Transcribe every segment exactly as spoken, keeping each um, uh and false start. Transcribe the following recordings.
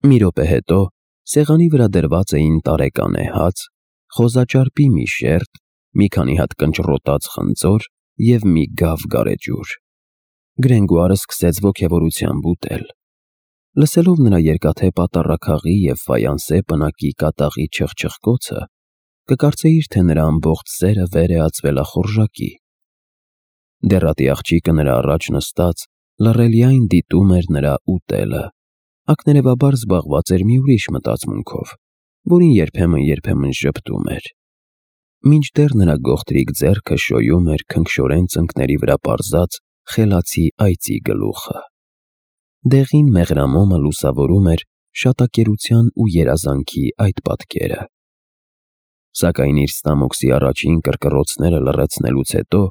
Մի րոպե հետո սեղանի վրա դրված էին տարեկան հաց, խոզաճարպի մի շերտ, մի քանի հատ կնճռոտած խնձոր և մի գավ գարեջուր։ Գրենգոարը սկսեց ոգևորությամբ ուտել։ Լսելով նրա երկաթե պատառաքաղի և ֆայանսե պնակի կատաղի չխչխկոցը, կկարծեիր, թե նրա ամբողջ սերը վեր է ածվել ախորժակի։ Դեռատի աղջիկը նրա առաջ նստած լռելիայն դիտում էր նրա ուտելը, ակներևաբար զբաղված էր մի ուրիշ մտածմունքով, որին երբեմն-երբեմն ժպտում էր։ Մինչդեռ նրա գողտրիկ ձեռքը շոյում էր քնքշորեն ծնկների վրա պարզած խելացի այծի գլուխը։ Դեղին մեղրամոմը լուսավորում էր շատակերության ու երազանքի այդ պատկերը։ Սակայն իր ստամոքսի առաջին կրկռոցները լռեցնելուց հետո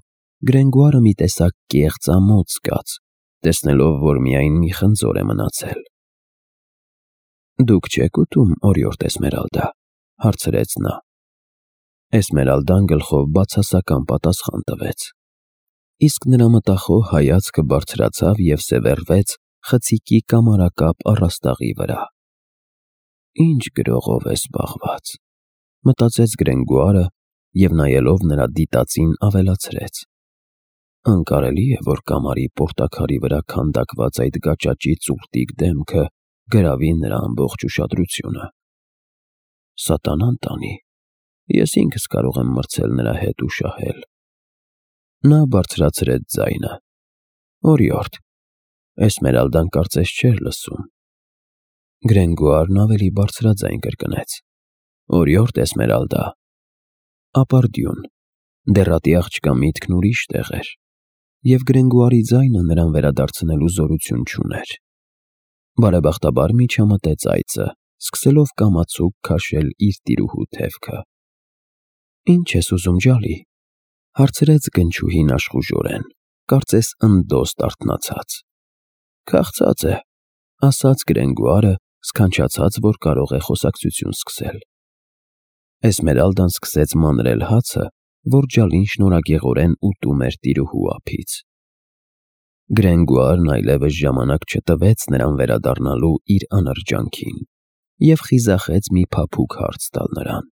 Գրենգոարը մի տեսակ կեղծ ամոթ զգաց, տեսնելով, որ միայն մի խնձոր է մնացել։ «Դուք չե՞ք ուտում, օրիորդ Էսմերալդա», հարցրեց նա։ Էսմերալդան գլխով բացասական պատասխան տվեց, իսկ նրա մտախոհ հայացքը բարձրացավ և սևեռվեց խցիկի կամարակապ առաստաղի վրա։ «Ինչ գրողով է զբաղված», մտածեց Գրենգոարը և նայելով նրա դիտածին ավելացրեց. «Անկարելի է, որ կամարի պորտաքարի վրա քանդակված այդ գաճաճի ծուռտիկ դեմքը գրավի նրա ամբողջ ուշադրությունը։ Սատանան տանի, ես ինքս կարող եմ մրցել նրա հետ ու շահել»։ Նա բարձրացրեց ձայնը. «Օրիորդ», Էսմերալդան կարծես չէր լսում։ Գրենգոարն ավելի բարձրաձայն կրկնեց. «Օրիորդ Էսմերալդա»։ Ապարդյուն, դեռատի աղջկա միտքն ուրիշ տեղ էր, և Գրենգոարի ձայնը նրան վերադարձնելու զորություն չուներ։ Բարեբախտաբար միջամտեց այծը, սկսելով կամացուկ քաշել իր տիրուհու թևքը։ «Ինչ ես ուզում, ջալի», հարցրեց գնչուհին աշխուժորեն, կարծես ընդդոստ արթնացած։ «Քաղցած է», ասաց Գրենգոարը, սքանչացած, որ կարող է խոսակցություն սկսել։ Էսմերալդան սկսեց մանրել հացը, որ ջալին շնորհագեղորեն ուտում էր տիրուհու ափից։ Գրենգոարն այլևս ժամանակ չտվեց նրան վերադառնալու իր անրջանքին և խիզախեց մի փափուկ հարց տալ նրան.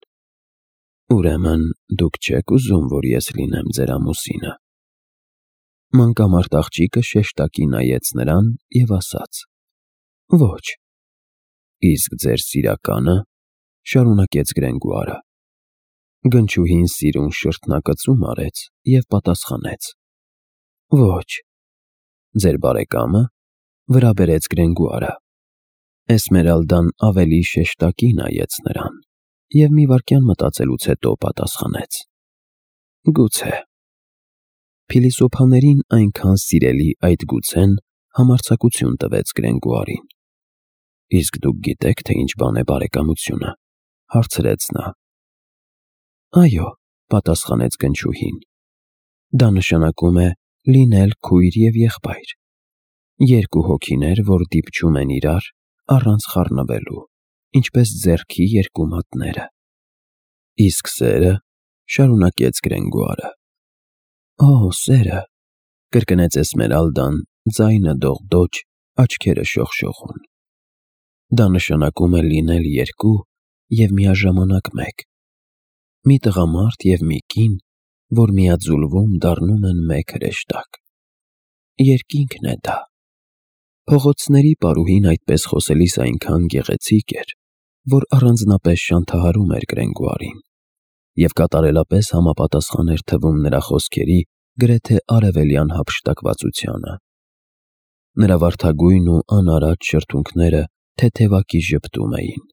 «Ուրեմն դուք չե՞ք ուզում, որ ես լինեմ ձեր ամուսինը»։ Մանկամարդ աղջիկը շեշտակի նայեց նրան և ասաց. «Ոչ»։ «Իսկ ձեր սիրակա՞նը», շարունակեց Գրենգոարը։ Գնչուհին սիրուն շրթնակծում արեց և պատասխանեց. «Ոչ»։ «Ձեր բարեկա՞մը», վրա բերեց Գրենգոարը։ Էսմերալդան ավելի շեշտակի նայեց նրան և մի վայրկյան մտածելուց հետո պատասխանեց. «Գուցե»։ Փիլիսոփաներին այնքան սիրելի այդ գուցեն համարձակություն տվեց Գրենգոարին։ «Իսկ դուք գիտե՞ք, թե ինչ բան է բարեկամությունը», հարցրեց նա։ «Այո», պատասխանեց գնչուհին, «դա նշանակում է լինել քույր և եղբայր, երկու հոգիներ, որ դիպչում են իրար առանց խառնվելու, ինչպես ձեռքի երկու մատները»։ «Իսկ սե՞րը», շարունակեց Գրենգոարը։ «Օ, սերը», կրկնեց Էսմերալդան, ձայնը դողդոջ, աչքերը շողշողուն։ «Դա նշանակում է լինել երկու և միաժամանակ մեկ, մի տղամարդ և մի կին, որ միաձուլվում դառնում են մեկ հրեշտակ։ Երկինքն է դա»։ Փողոցների պարուհին այդպես խոսելիս այնքան գեղեցիկ էր, որ առանձնապես շանթահարում էր Գրենգոարին, և կատարելապես համապատասխան էր թվում նրա խոսքերի գրեթե արևելյան հափշտակվածությանը։ Նրա վարդագույն ու անարատ շրթունքները թեթևակի ժպտում էին։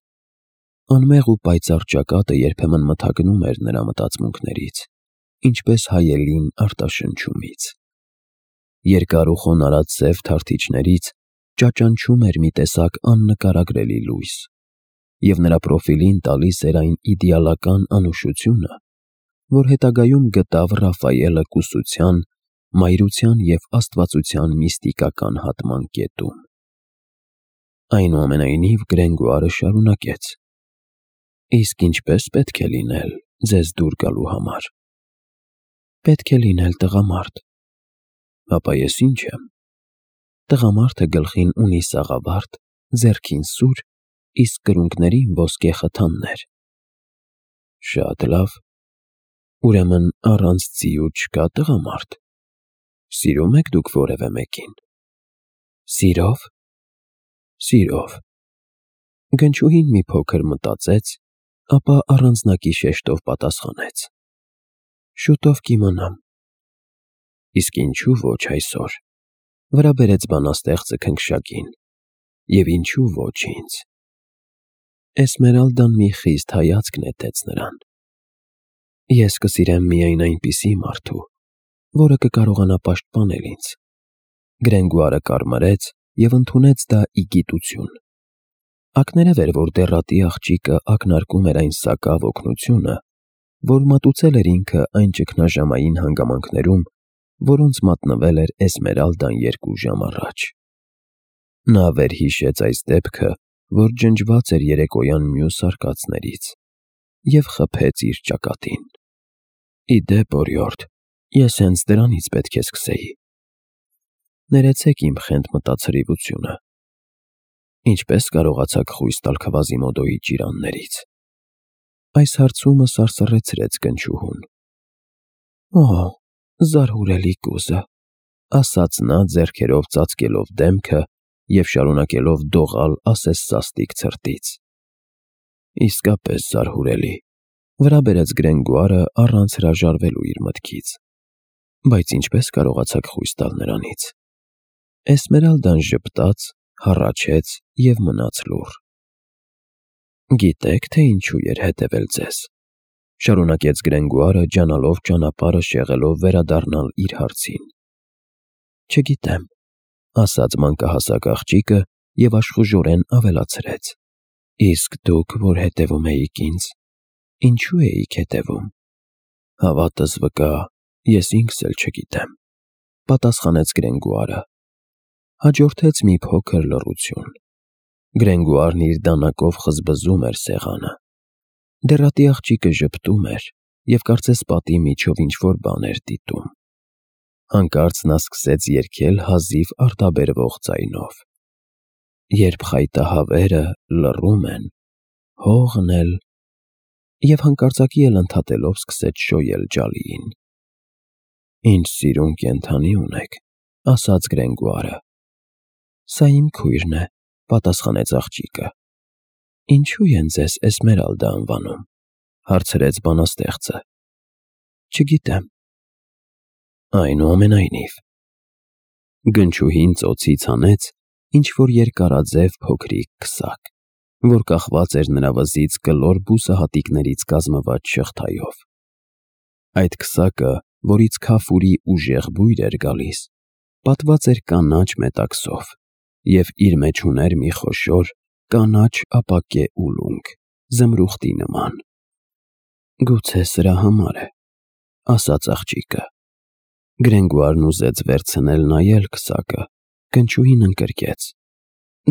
Անմեղ ու պայծառ ճակատը երբեմն մթագնում էր նրա մտածմունքներից, ինչպես հայելին արտաշնչումից։ Երկար ու խոնարհած սև թարթիչներից ճաճանչում էր մի տեսակ աննկարագրելի լույս, և նրա պրոֆիլին տալիս էր այն իդեալական անուշությունը, որ հետագայում գտավ Ռաֆայելը կուսության, մայրության և աստվածության միստիկական հատման կետում։ Այնուամենայնիվ Գրենգոարը շարունակեց. «Իսկ ինչպե՞ս պետք է լինել ձեզ դուր գալու համար»։ «Պետք է լինել տղամարդ»։ «Ապա ես ի՞նչ եմ»։ «Տղամարդը գլխին ունի սաղավարտ, ձեռքին սուր իսկ կրունկներին ոսկե խթաններ։ Շատ լավ, ուրեմն առանց ձիու չկա տղամարդ։ Սիրում եք դուք որևէ մեկին։ Սիրով։ Սիրով։ Գնչուհին մի փոքր մտածեց, ապա առանձնակի շեշտով պատասխանեց. Շուտով կիմանամ։ Իսկ ինչու ոչ այսօր, վրա բերեց բանաստեղծը քնքշակին, և ինչու ոչ ինձ։ Էսմերալդան մի խիստ հայացք նետեց նրան։ Ես կսիրեմ միայն այնպիսի մարդու, որը կկարողանա պաշտպանել ինձ։ Գրենգուարը կարմրեց և ընդունեց դա ի գիտություն։ Ակներև էր, որ դեռատի աղջիկը ակնարկում էր այն սակավ օգնությունը, որ մատուցել էր ինքը այն ճգնաժամային հանգամանքներում, որոնց մատնվել էր Էսմերալդան երկու ժամ առաջ։ Նա վերհիշեց այս դեպքը, որ ջնջված էր երեկոյան մյուս արկածներից, և խփեց իր ճակատին։ Ի դեպ, օրիորդ, ես հենց դրանից պետք է սկսեի։ Ներեցեք իմ խենթ մտածրիվությունը։ Ինչպե՞ս կարողացաք խույս տալ Քվազիմոդոյի ճիրաններից։ Այս հարցումը սարսռեցրեց Գնչուհուն։ Օ՜, զարհուրելի կուզը, ասաց նա ձեռքերով ծածկելով դեմքը և շարունակելով դողալ ասես սաստիկ ցրտից։ Իսկապես զարհուրելի, վրա բերեց Գրենգուարը առանց հրաժարվելու իր մտքից։ Բայց ինչպե՞ս կարողացաք խույս տալ նրանից։ Էսմերալդան ժպտաց, հառաչեց և մնաց լուռ։ Գիտե՞ք, թե ինչու էր հետևել ձեզ, շարունակեց Գրենգուարը, ջանալով ճանապարհը շեղելով վերադառնալ իր հարցին։ Չգիտեմ, ասաց մանկահասակ աղջիկը և աշխուժորեն ավելացրեց. Իսկ դուք, որ հետևում էիք ինձ, ինչու էիք հետևում։ Հավատս վկա, ես ինքս էլ չգիտեմ, պատասխանեց Գրենգուարը։ Հաջորդեց մի փոքր լռություն։ Գրենգուարն իր դանակով խզբզում էր սեղանը։ Դեռատի աղջիկը ժպտում էր և կարծես պատի միջով ինչ-որ բան էր դիտում։ Հանկարծ նա սկսեց երգել հազիվ արտաբերվող ձայնով. Երբ խայտահավերը լռում են, հողն էլ… Եվ հանկարծակի էլ ընդհատելով սկսեց շոյել ջալիին։ Ինչ սիրուն կենդանի ունեք, ասաց Գրենգուարը։ Սա իմ քույրն է, պատասխանեց աղջիկը։ Ինչու են ձեզ Էսմերալդա անվանում, հարցրեց բանաստեղծը։ Չգիտեմ։ Այնուամենայնիվ։ Գնչուհին ծոցից հանեց ինչ-որ երկարաձև փոքրիկ քսակ, որ կախված էր նրա վզից կլոր բուսահատիկներից կազմված շղթայով։ Այդ քսակը, որից քաֆուրի ուժեղ բույր էր գալիս, պատված էր կանաչ մետաքսով և իր մեջ ուներ մի խոշոր կանաչ ապակե ուլունք, զմրուխտի նման։ Գուցե սրա համար է, ասաց աղջիկը։ Գրենգուարն ուզեց վերցնել նայել քսակը, Գնչուհին ընկրկեց.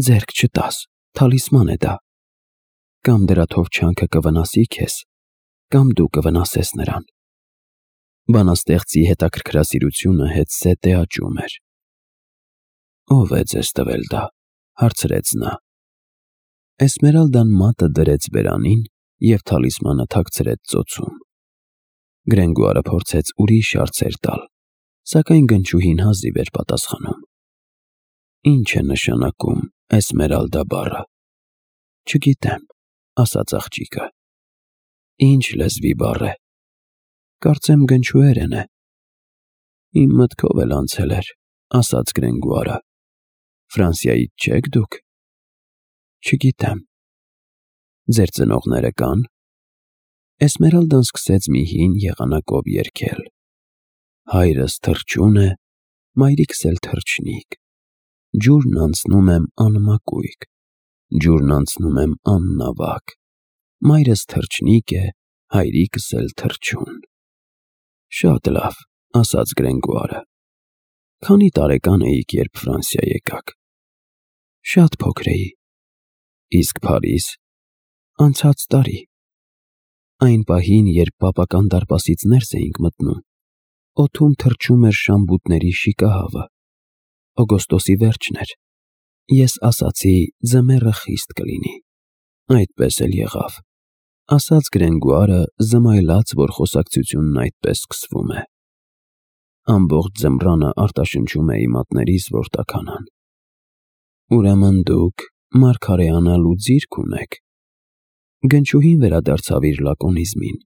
Ձեռք չտաս, թալիսման է դա։ Կամ դրա թովչանքը կվնասի քեզ, կամ դու կվնասես նրան։ Բանաստեղծի հետաքրքրասիրությունը հետզհետե աճում էր։ Ո՞վ է ձեզ տվել դա, հարցրեց նա։ Էսմերալդան մատը դրեց բերանին և թալիսմանը թաքցրեց ծոցում։ Գրենգուարը փորձեց ուրիշ հարցեր տալ, սակայն Գնչուհին հազիվ էր պատասխանում։ Ինչ է նշանակում Էսմերալդա բառը։ Չգիտեմ, ասաց աղջիկը։ Ինչ լեզվի բառ է։ Կարծեմ գնչուերեն է։ Իմ մտքով էլ անցել էր, ասաց Գրենգուարը։ Ֆրանսիայից չեք դուք։ Չգիտեմ։ Ձեր ծնողները կան։ Էսմերալդան սկսեց մի հին եղանակով երգել։ Հայրս թռչուն է, մայրիկս էլ թռչնիկ, ջուրն անցնում եմ անմակույկ, ջուրն անցնում եմ աննավակ, մայրս թռչնիկ է, հայրիկս էլ թռչուն։ Շատ լավ, ասաց Գրենգուարը։ Քանի տարեկան էիք, երբ Ֆրանսիա եկաք։ Շատ փոքր էի։ Իսկ Փարիզ։ Անցած տարի։ Այն պահին, երբ պապական դարպասից ներս էինք մտնում, օդում թռչում էր շամբուտների շիկահավը։ Օգոստոսի վերջն էր։ Ես ասացի՝ ձմեռը խիստ կլինի։ Այդպես էլ եղավ, ասաց Գրենգուարը, զմայլած, որ խոսակցությունն այդպես սկսվում է։ Ամբողջ ձմռանը արտաշնչում էի մատներիս, որ տաքանան։ Ուրեմն դուք մարգարեանալու ձիրք ունեք։ Գնչուհին վերադարձավ իր լակոնիզմին։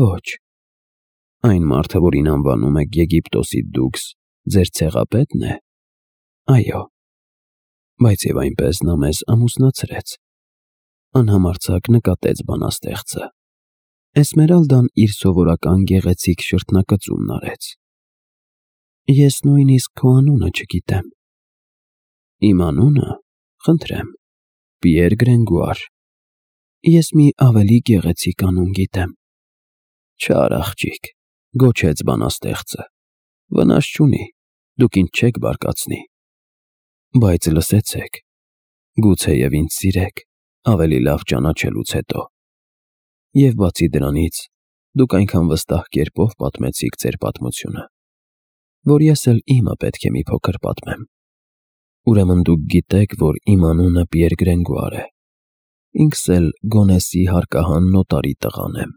Ոչ։ Այն մարդը, որին անվանում եք Եգիպտոսի դուքս, ձեր ցեղապետն է։ Այո։ Բայց եւ այնպես նա մեզ ամուսնացրեց։ Անհամարձակ նկատեց բանաստեղծը։ Էսմերալդան իր սովորական գեղեցիկ շրթնակծումն արեց։ Ես նույնիսկ քո անունը չգիտեմ։ Իմ անունը, խնդրեմ, Պիեր Գրենգուար։ Ես մի ավելի գեղեցիկ անուն գիտեմ։ Չար աղջիկ, գոչեց բանաստեղծը։ Վնաս չունի, դուք ինձ չեք բարկացնի։ Բայց լսեցեք, գուցեև ինձ սիրեք, ավելի լավ ճանաչելուց հետո։ Եվ բացի դրանից, դուք այնքան վստահ կերպով պատմեցիք ձեր պատմությունը, որ ես էլ իմը պետք է մի փոքր պատմեմ։ Ուրեմն դուք գիտեք, որ իմ անունը Պիեր Գրենգուար է։ Ինքս էլ Գոնեսի հարկահան նոտարի տղան եմ։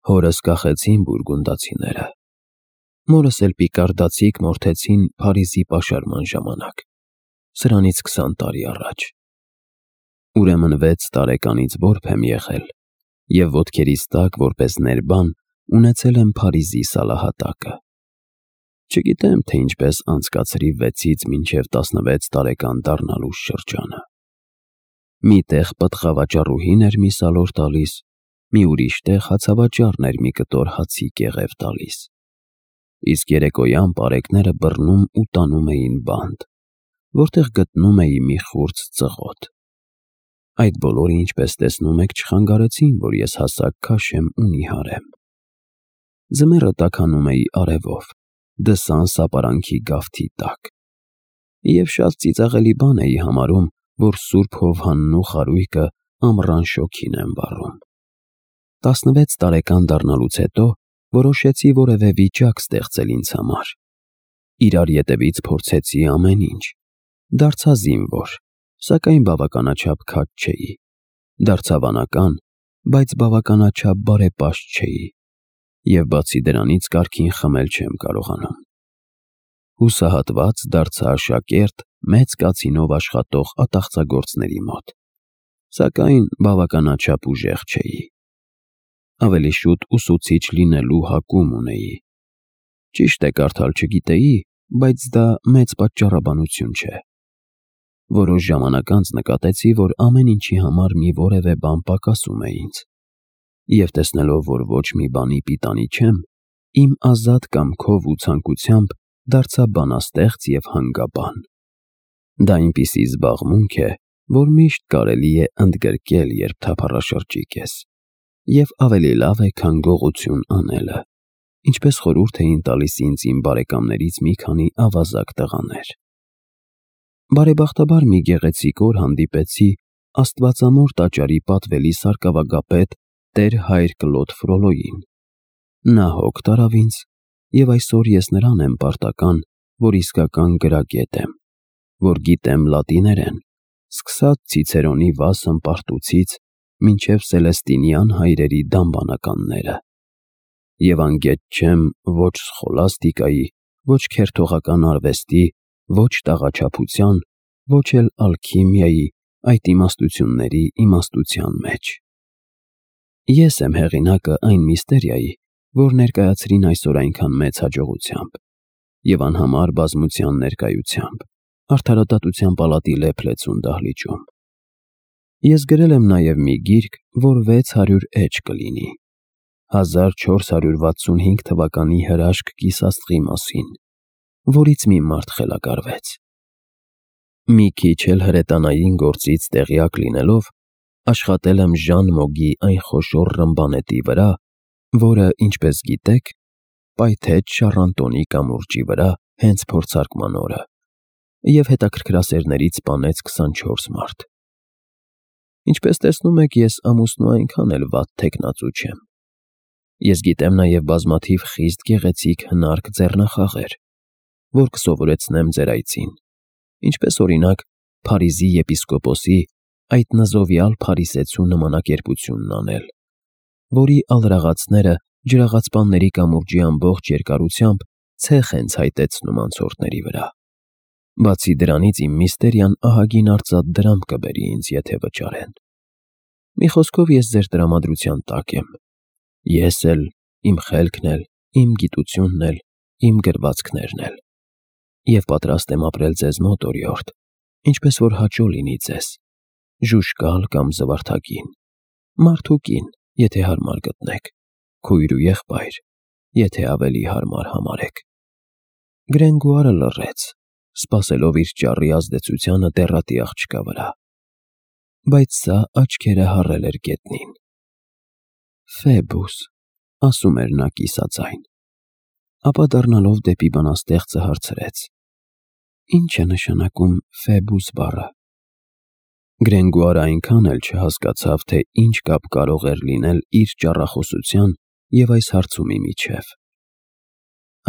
Հորս կախեցին բուրգունդացիները։ Մորս էլ պիկարդացիք մորթեցին Փարիզի պաշարման ժամանակ, սրանից քսան տարի առաջ։ Ուրեմն վեց տարեկանից որբ եմ եղել, և ոտքերիս տակ որպես ներբան ունեցել եմ Փարիզի սալահատակը։ Չգիտեմ, թե ինչպես անցկացրի վեցից մինչև տասնվեց տարեկան դառնալու շրջանը։ Մի տեղ պտղավաճառուհին էր մի սալոր տալիս, մի ուրիշ տեղ հացավաճառն էր մի կտոր հացի կեղև տալիս։ Իսկ երեկոյան պարեկները բռնում ու տանում էին բանտ, որտեղ գտնում էի մի խուրձ ծղոտ։ Այդ բոլորը, ինչպես տեսնում եք, չխանգարեցին, որ ես հասակ քաշեմ ու նիհարեմ։ Ձմեռը տաքանում էի արևով, դսան սապարանքի գավթի տակ։ Եվ շատ ծիծաղելի բան էի համարում, որ Սուրբ Հովհանն ու խարույկը ամռան շոգին են վառում։ Տասնվեց տարեկան դառնալուց հետո որոշեցի որևէ վիճակ ստեղծել ինձ համար։ Իրար ետևից փորձեցի ամեն ինչ։ Դարձա զինվոր, սակայն բավականաչափ քաջ չէի։ Դարձա վանական, բայց բավականաչափ բարեպաշտ չէի։ Եվ բացի դրանից կարգին խմել չեմ կարողանում։ Հուսահատված դարձա աշակերտ մեծ կացինով աշխատող ատաղծագործների մոտ, սակայն բավականաչափ ուժեղ չէի։ Ավելի շուտ ուսուցիչ լինելու հակում ունեի։ Ճիշտ է, կարդալ չգիտեի, բայց դա մեծ պատճառաբանություն չէ։ Որոշ ժամանակ անց նկատեցի, որ ամեն ինչի համար մի որևէ բան պակասում է ինձ։ Եվ տեսնելով, որ ոչ մի բանի պիտանի չեմ, իմ ազատ կամքով ու ցանկությամբ դարձա բանաստեղծ և հանգաբան։ Դա այնպիսի զբաղմունք է, որ միշտ կարելի է ընդգրկել, երբ թափառաշրջիկ ես, և ավելի լավ է, քան գողություն անելը, ինչպես խորհուրդ էին տալիս ինձ իմ բարեկամներից մի քանի ավազակ տղաներ։ Բարեբախտաբար մի գեղեցիկ օր հանդիպեցի Աստվածամոր տաճարի պատվելի սարկավագապետ տեր հայր Կլոդ Ֆրոլոյին։ Նա հոգ տարավ ինձ, և այսօր ես նրան եմ պարտական, որ իսկական գրագետ եմ, որ գիտեմ լատիներեն, սկսած Ցիցերոնի վասն պարտուցից մինչև Սելեստինյան հայրերի դամբանականները, և անգետ չեմ ոչ սխոլաստիկայի, ոչ քերթողական արվեստի, ոչ տաղաչափության, ոչ էլ ալքիմիայի այդ իմաստությունների իմաստության մեջ։ Ես եմ հեղինակը այն միստերիայի, որ ներկայացրին այսօր այնքան մեծ հաջողությամբ և անհամար բազմության ներկայությամբ Արդարադատության պալատի լեփ-լեցուն դահլիճում։ Ես գրել եմ նաև մի գիրք, որ վեց հարյուր էջ կլինի, հազար չորս հարյուր վաթսունհինգ թվականի հրաշք կիսաստղի մասին, որից մի մարդ խելագարվեց։ Մի քիչ էլ հրետանային գործից տեղյակ լինելով, աշխատել եմ Ժան Մոգի այն խոշոր ռմբանետի վրա, որը, ինչպես գիտեք, պայթեց Շառանտոնի կամուրջի վրա հենց փորձարկման օրը, և հետաքրքրասերներից սպանեց քսանչորս մարդ։ Ինչպես տեսնում եք, ես ամուսնու այնքան էլ վատ թեկնածու չեմ։ Ես գիտեմ նաև բազմաթիվ խիստ գեղեցիկ հնարք ձեռնախաղեր, որ կսովորեցնեմ ձեր այցին, ինչպես օրինակ Փարիզի եպիսկոպոսի այդ նզովյալ փարիսեցու նմանակերպությունն անել, որի ալրաղացները ջրաղացպանների կամուրջի ամբողջ երկարությամբ ցեխ են ցայտեցնում անցորդների վրա։ Բացի դրանից իմ միստերիան ահագին արծաթ դրամ կբերի ինձ, եթե վճարեն։ Մի խոսքով ես ձեր տրամադրության տակ եմ։ Ես էլ, իմ խելքն էլ, իմ գիտությունն էլ, իմ գրվածքներն էլ։ Եվ պատրաստ եմ ապրել ձեզ մոտ, օրիորդ, ինչպես որ հաճո լինի ձեզ, ժուժկալ կամ զվարթակին, մարդ ու կին, եթե հարմար գտնեք, քույր ու եղբայր, եթե ավելի հարմար համարեք։ Գրենգուարը լռեց, սպասելով իր ճառի ազդեցությանը դեռատի աղջկա վրա, բայց սա աչքերը հառել էր գետնին։ Ֆեբուս, ասում էր նա կիսաձայն, ապա դառնալով դեպի բանաստեղծը հարցրեց. Ինչ է նշանակում Ֆեբուս բառը։ Գրենգուարը այնքան էլ չհասկացավ, թե ինչ կապ կարող էր լինել իր ճառախոսության և այս հարցումի միջև։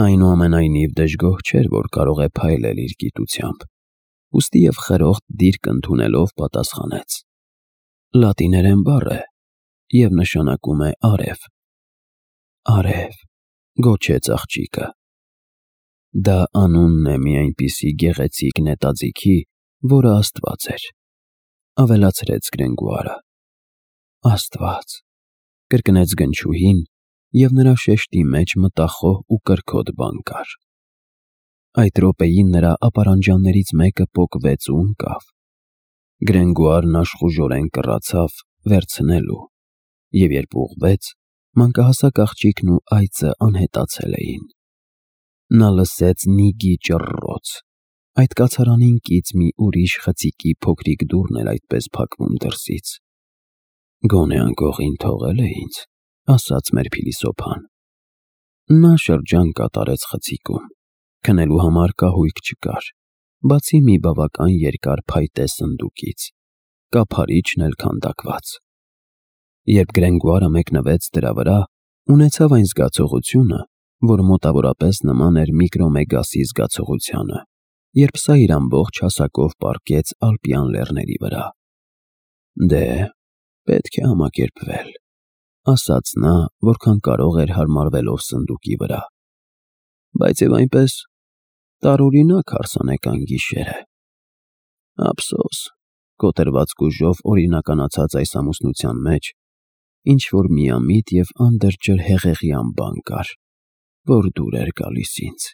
Այնուամենայնիվ դժգոհ չէր, որ կարող է փայլել իր գիտությամբ, ուստի և խրոխտ դիրք ընդունելով պատասխանեց. Լատիներեն բառ է և նշանակում է արև։ Արև, գոչեց աղջիկը։ Դա անունն է մի այնպիսի գեղեցիկ նետաձիգի, որը Աստված էր, ավելացրեց Գրենգուարը։ Աստված, կրկնեց գնչուհին, և նրա շեշտի մեջ մտախոհ ու կրքոտ բան կար։ Այդ րոպեին նրա ապարանջաններից մեկը պոկվեց ու ընկավ։ Գրենգուարն աշխուժորեն կռացավ վերցնելու, և երբ ուղղվեց, մանկահասակ աղջիկն ու այծը անհետացել էին։ Նա լսեց Նիգի ճռռոց, այդ կացարանին կից մի ուրիշ խցիկի փոքրիկ դուռն էր այդպես փակվում դրսից։ Գոնե անկողին թողել է ինձ, ասաց մեր փիլիսոփան։ Նա շրջան կատարեց խցիկում, քնելու համար կահույք չկար, բացի մի բավական երկար փայտե սնդուկից, կափարիչն էլ քանդակված։ Երբ Գրենգուարը մեկնվեց դրա վրա, ունեցավ այն զգացողությունը, որ մոտավորապես նման էր Միկրոմեգասի զգացողությանը, երբ սա իր ամբողջ հասակով պառկեց Ալպյան լեռների վրա։ Դե, պետք է համակերպվել, ասաց նա, որքան կարող էր հարմարվելով սնդուկի վրա, բայց և այնպես տարօրինակ հարսանեկան գիշեր է։ Ափսոս, կոտրված գուժով օրինականացած այս ամուսնության մեջ ինչ-որ միամիտ և անդրջր հեղեղյան բան կար, որ դուր էր գալիս ինձ։